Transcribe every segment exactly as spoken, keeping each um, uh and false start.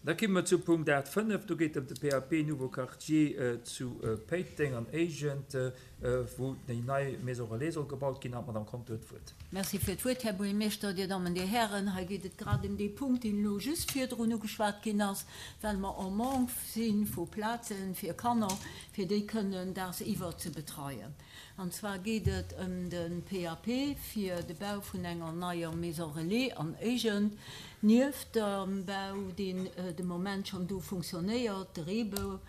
Da komme mer zu Punkt aacht fënnef, do geet et ëm de P A P Nouveau Quartier zu Péiteng an Éigent, wou déi nei Maison relais soll gebaut ginn. An d'Madame Conter huet d'Wuert. Merci fir d'Wuert, Här Buergermeeschter, Dir Dammen, Dir Hären. Hei geet et grad ëm dee Punkt, deen elo just virdrun ugeschwat ginn ass, well mer en manque si vu Plaze fir Kanner, fir déi kënnen dagsiwwer ze betreien. An zwar geet et ëm de P A P fir de Bau vun enger neier Maison relais an Éigent, nieft dem Bau, deen de Moment schonn do funktionéiert, de Reebou,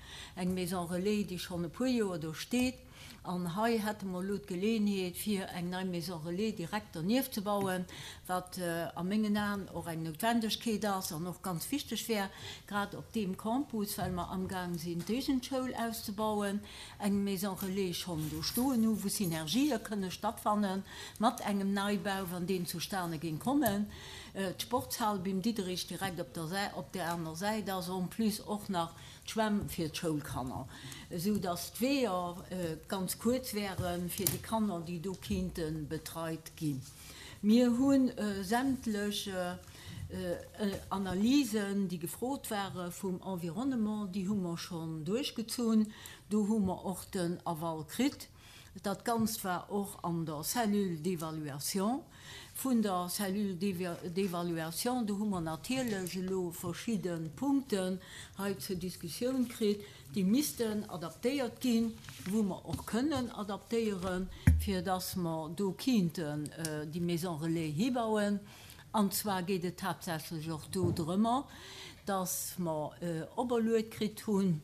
eng Maison relais, déi schonn e puer Joer do steet. An hei hätte mer elo d'Geleeënheet, fir eng nei Maison relais direkt dernieft ze bauen, wat a mengen Aen och eng Noutwendegkeet ass an och ganz wichteg wär, grad op deem Campus, well mer amgaang sinn, d'Éigentschoul auszebauen, eng Maison relais schonn do stoen hu, wou Synergië kënne stattfanne mat engem Neibau, wann deen zustane géing kommen. D'Sportshal Bim Diederich direkt op der op der aner Säit ass en plus och nach d'Schwämm fir d'Schoulkanner, esou dass d'Weeër ganz kuerz wäre fir déi Kanner, déi do kinnte betreit ginn. Mir hu sämtlech Analysen, déi gefrot ware vum Environnement, déi hu mer schonn duerchgezunn. Do hu mer och den Aval kritt. Dat Ganzt war och an der Cellule d'évaluation. Vun der Cellule d'évaluation, do hu mer natierlech elo verschidde Punkten hei zur Diskussioun kritt, déi missten adaptéiert ginn, wou mer och kënnen adaptéieren, fir dass mer do kinnten déi Maison relais hibauen. An zwar geet et haaptsächlech och do drëmmer, dass mer operluet kritt hunn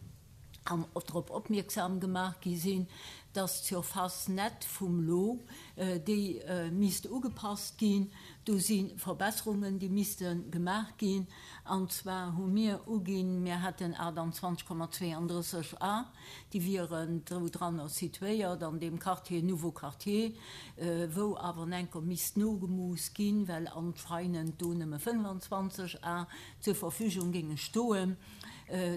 an drop opmierksam gemaach gi sinn, dass d'Surface nette vum Lot, déi misst ugepasst ginn. Do si Verbesserungen, déi misste gemaach ginn. An zwar hu mir uginn, mir hätten aachtanzwanzeg Komma zwéiandrësseg Ar, déi wieren do dranner situéiert an deem Quartier Nouveau Quartier, wou awer enker misst nogemooss ginn, well anscheinend do nëmme fënnefanzwanzeg Ar zur Verfügung géinge stoen.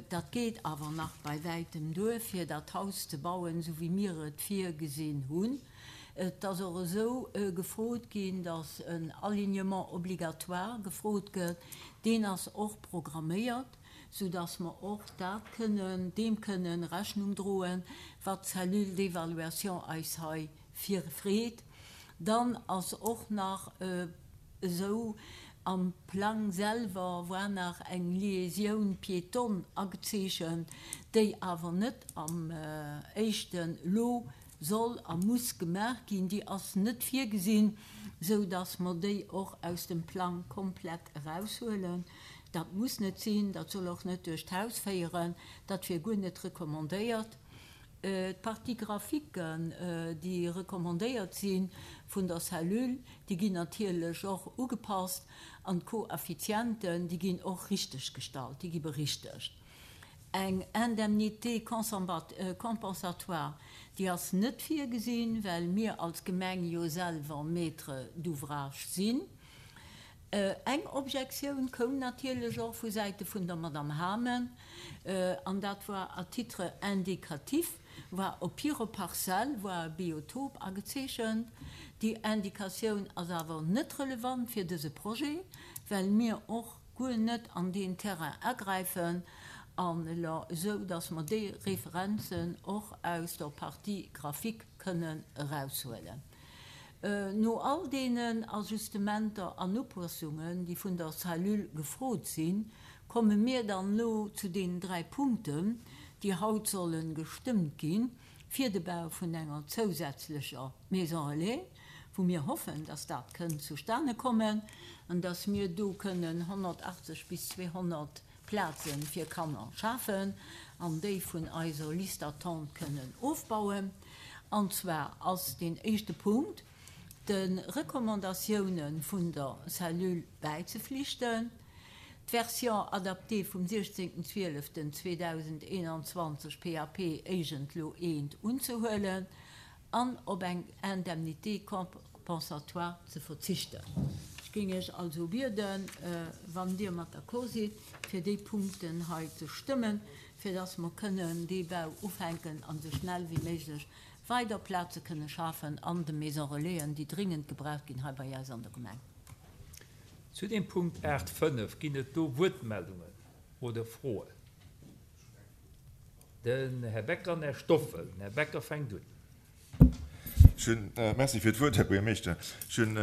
Dat geet awer nach bei wäitem duer, fir dat Haus ze bauen, esou wéi mir et virgesinn hunn. Et ass och esou gefrot ginn, dass en Alignement obligatoire gefrot gëtt. Deen ass och programméiert, soudass mer och dat kënnen, deem kënnen Rechnung droen, wat d'Cellule d'évaluation eis hei virfreet. Dann ass och nach esou, am Plang selwer war nach eng Liaisoun piétonne agezeechent, déi awer net am éischte Lot soll a muss gemaach ginn. Déi ass net virgesinn, sou dass mer déi och aus dem Plang komplett eraushuelen. Dat muss net sinn, dat soll och net duerch d'Haus féieren, dat wier guer net recommandéiert. D'Partie graphiquen, déi recommandéiert si vun der Cellule, déi ginn natierlech och ugepasst an d'Koeffizienten, déi ginn och richteg gestallt, déi gi berichtegt. Eng Indemnité compensatoire, déi ass net virgesinn, well mir als Gemeng jo selwer Maître d'ouvrage sinn. Eng Objektioun koum natierlech och vu Säite vun der Madame Hamen, an dat war à titre indicatif, war op hirer Parzell war e Biotop agezeechent. Déi Indikatioun ass awer net relevant fir dëse Projet, well mir och guer net an deen Terrain agräifen, an esou dass mer déi Referenzen och aus der Partie graphique kënnen eraushuelen. No all deenen Ajustementer an Upassungen, déi vun der Cellule gefrot sinn, komme mir dann elo zu deenen dräi Punkten, déi haut solle gestëmmt ginn, fir de Bau vun enger zousätzlecher Maison relais, wou mir hoffen, dass dat kënnt zustane kommen an dass mir do kënnen honnertachtzeg bis zweehonnert Plaze fir Kanner schafen an déi vun eiser Liste d'attente kënnen ofbauen. An zwar ass deen éischte Punkt, de Recommandatioune vun der Cellule bäizeflichten, d'Version adaptée vum siechzéngten zwieleften zweedausendeenanzwanzeg P A P Éigent Lot eent unzehuelen an op eng Indemnité compensatoire ze verzichten. Ech géing Iech also bieden, wann Dir mat d'accord sidd, fir déi Punkten hei ze stëmmen, fir dass mer kënnen dee Bau ufänken an esou schnell wéi méiglech weider Plaze kënne schafen an de Maison Relaisen, déi dringend gebraucht ginn hei bei eis an der Gemeng. Zu dem Punkt aacht fënnef ginn et do Wuertmeldungen? Oder Froen? Den Här Becker an den Här Stoffel. Den Här Becker fänkt un. Ech hunn, Merci fir d'Wuert, Här Buergermeeschter. Ech hunn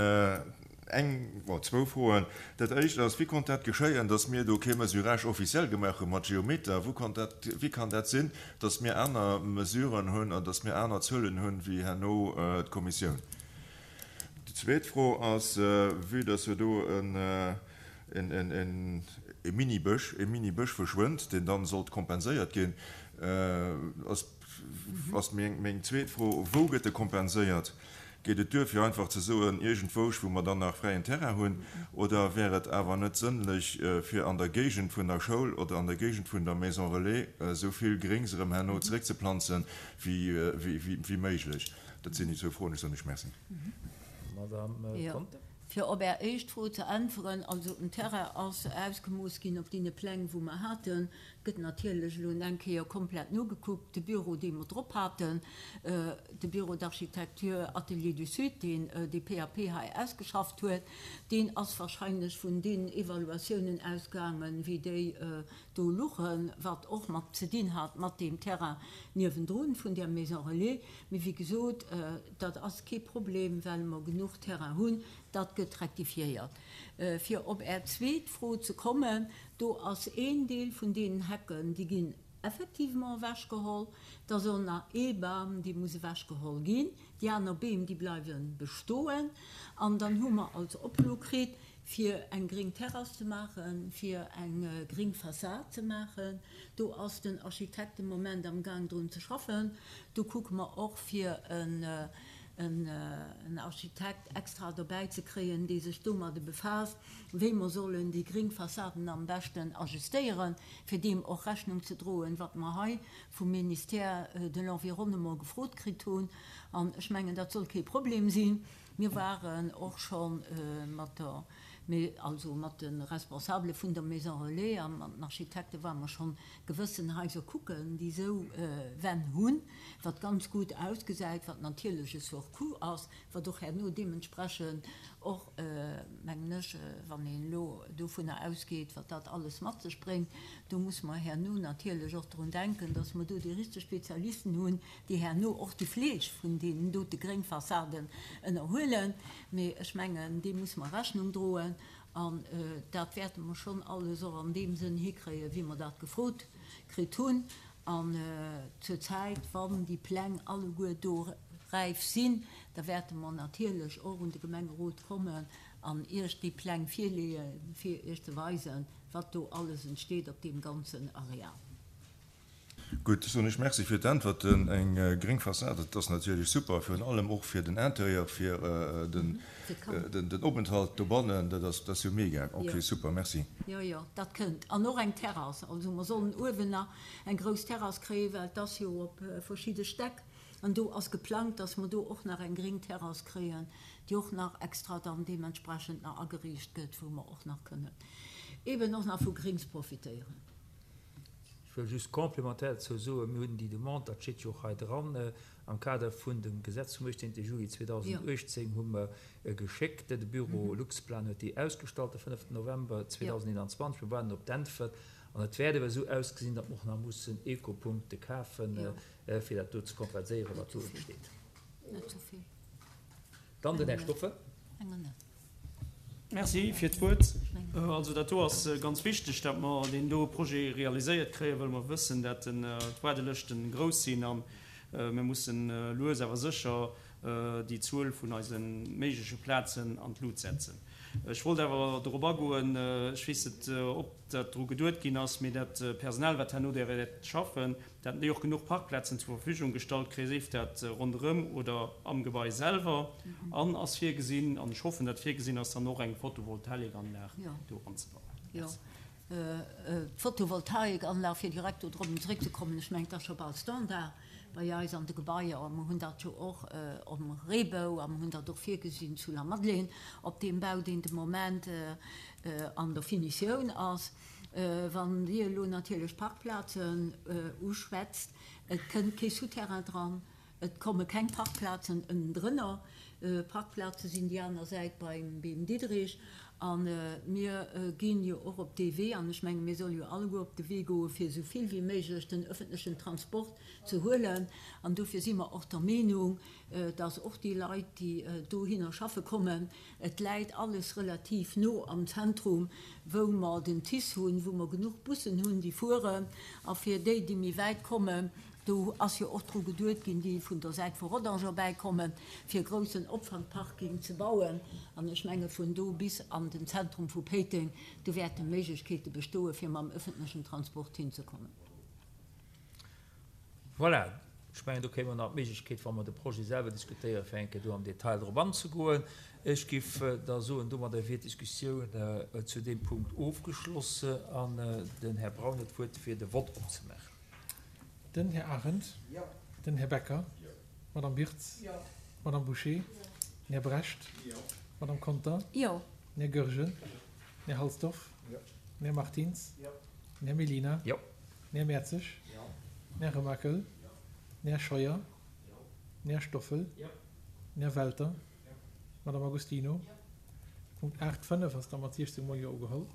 eng, bon, zwou Froen. Dat Éischt ass, Wéi konnt dat geschéien, dass mir do kee Mesurage officiel gemaach hu mat Geometer? Wou konnt dat, wéi kann dat sinn, dass mir aner Mesuren hunn an dass mir aner Zuelen hunn wéi herno d'Kommissioun? Déi zweet Fro ass, Vue dass jo do e Mini-Bësch, e Mini-Bësch verschwënnt, deen dann sollt kompenséiert ginn, ass, ass meng zweet Fro, Wou gëtt e kompenséiert? Geet et duer, fir einfach ze soen, iergendwousch, wou mer dann nach fräien Terrain hunn, oder wär et awer net sënnlech, fir an der Géigend vun der Schoul oder an der Géigend vun der Maison Relais esou vill Gréngs erëm herno zeréckzeplanzen, wéi méiglech? Dat sinn déi zwou Froen. Ech soen lech Merci. Madame Conter. Fir op Är éischt Fro ze äntweren, also den Terrain ass ausgemooss ginn op deene Pläng, wou mer haten. Et gëtt natierlech elo eng Kéier komplett nogekuckt. De Büro, dee mer drop haten, de Bureau d'architecture Atelier du Sud, deen dee P A P hei ausgeschafft huet, deen ass wahrscheinlech vun deenen Evaluatiounen ausgaangen, wéi déi do luchen, wat och mat ze dinn hat mat deem Terrain niewendrun vun där Maison Relais. Mee wéi gesot, dat ass kee Problem, well mer genuch Terrain hunn. Dat gëtt rektifiéiert. Fir op Är zweet Fro ze kommen, do ass een Deel vun deenen Hecken, déi ginn effectivement ewechgeholl. Da soll nach ee Bam, dee muss ewechgeholl ginn. Déi aner Beem, déi bleiwe bestoen. An dann hu mer als Oplo kritt, fir eng gréng Terrass ze maachen, fir eng gréng Fassad ze maachen. Do ass den Architekt de Moment am Gaang drun ze schaffen. Do kucke mer och, fir en en Architekt extra dobäi ze kréien, dee sech domadde befaasst, wéi mer sollen déi gréng Fassaden am beschten ajustéieren, fir deem och Rechnung ze droen, wat mer hei vum Ministère de l'Environnement gefrot kritt hunn. An ech mengen, dat soll kee Problem sinn. Mir waren och scho mat der, also mat de Responsabele vun der Maison Relais a mat den Architekte ware mer schonn gewëssen Haiser kucken, déi esou Wänn hunn, wat ganz gutt ausgesäit, wat natierlech e Surcoût ass, wat och herno deementsprechend och, mengen ech, wann een elo dovunner ausgeet, wat dat alles mat sech bréngt, do muss mer herno natierlech och drun denken, dass mer do déi richteg Spezialisten hunn, déi herno och déi Fleeg vun deenen dote Gréngfassaden ënnerhuelen. Mee ech mengen, deem muss mer Rechnung droen. An dat wäerte mer schonn alles och an deem Sënn hikréien, wéi mer dat gefrot kritt hunn. An zur Zäit, wann déi Pläng alleguer do räif sinn, da wäerte mer natierlech och un de Gemengerot kommen an Iech déi Pläng virleeën, fir Iech ze weisen, wat do alles entsteet op deem ganzen Areal. Gutt, soen ech Merci fir d'Äntwerten. Eng gréng Fassad, dat ass natierlech super, virun allem och fir den Interieur, fir den Openthalt dobannen, dat ass, dat ass jo mega. Ok, super, merci. Jo, jo, dat kënnt. An och eng Terrass. Also mer sollen uewen nach eng grouss Terrass kréien, well et ass jo op verschidde Stäck. An do ass geplangt, dass mer do och nach eng gréng Terrass kréien, déi och nach extra dann deementsprechend nach ageriicht gëtt, wou mer och nach kënnen eeben och nach vu Grings profitéieren. Ech wëll just complémentaire dozou soen, mir hunn déi Demande, dat steet jo och hei dran, am Kader vun dem Gesetz vum uechtzéngte Juli zweedausenduechtzéng hu mer geschéckt, de Büro Luxplan huet déi ausgestallt de fënneften November zweedausendeenanzwanzeg. Mir waarden op d'Äntwert an et wäert ewer esou ausgesinn, datt mer och nach mussen Ecopunkte kafen, fir dat do ze kompenséieren, wat do entsteet. Dann den Här Stoffel. Merci fir d'Wuert. Also dat do ass ganz wichteg, dat mer deen do Projet realiséiert kréien, well mer wëssen, dat d'Waardelëschten grouss sinn a mir mussen lues awer sécher déi Zuel vun eise méigleche Plazen an d'Lut setzen. Ech wollt awer dorop agoen, ech weess net, ob dat dru geduet ginn ass, mee dat Personal, wat herno där wäert schaffen, dat déi och genuch Parkplazen zur Verfügung gestallt kréien, sief dat ronderëm oder am Gebai selwer. An ass virgesinn, an ech hoffen, dat virgesinn ass, dann och eng Photovoltaikanlag do anzebauen. Jo, d'Photovoltaikanlag, fir direkt do drop zeréckzekommen, ech mengen, dat ass scho bal Standard bei eis an de Gebaier. Mer hunn dat jo och um Reebou a mer hunn dat och virgesinn zu Lamadelaine op deem Bau, deen de Moment an der Finitioun ass. Wann Dir elo natierlech Parkplazen uschwätzt, et kënnt kee Souterrain dran, et komme keng Parkplazen ënnendrënner. Parkplaze sinn déi aner Säit beim Beem Diderich. A mir ginn jo och op dee Wee, an ech menge mir solle jo alleguer op de Wee goe fir esou vill wéi méiglech den öffentlechen Transport ze huelen. An dofir si mer och der Meenung, dass och déi Leit, déi dohinner schaffe kommen, et läit alles relativ no am Zentrum, wou mer den TICE hunn, wou mer genuch Bussen hunn, déi fueren, a fir déi, déi méi wäit kommen, do ass jo och dru geduet ginn, déi vun der Säit vu Rodange erbäikommen, fir e groussen Opfangparking ze bauen. An ech menge vun do bis an den Zentrum vu Péiteng, do wäerte Méiglechkeete bestoe fir mam öffentlechen Transport hinzekommen. Voilà, ech mengen, do kréie mer nach d'Méiglechkeet, wa mer de Projet selwer diskutéieren, fir eng Kéier do am Detail drop anzegoen. Ech géif da soen, domadder wier d'Diskussioun zu deem Punkt ofgeschloss an den Här Braun huet d'Wuert, fir de Vott opzemaachen. Den Här Arendt. Jo. Den Här Becker. Jo. D'Madame Birtz. Jo. D'Madame Bouché. Jo. Den Här Brecht. Jo. D'Madame Conter. Jo. Den Här Goergen. Jo. Den Här Halsdorf. Jo. Den Här Martins. Jo. Den Här Mellina. Jo. Den Här Mertzig. Jo. Den Här Remakel. Jo. Den Här Scheuer. Jo. Den Här Stoffel. Jo. Den Här Welter. Jo. D'Madame Agostino. Jo. Punkt aacht fënnef ass da mat siechzéng mol Jo ugeholl.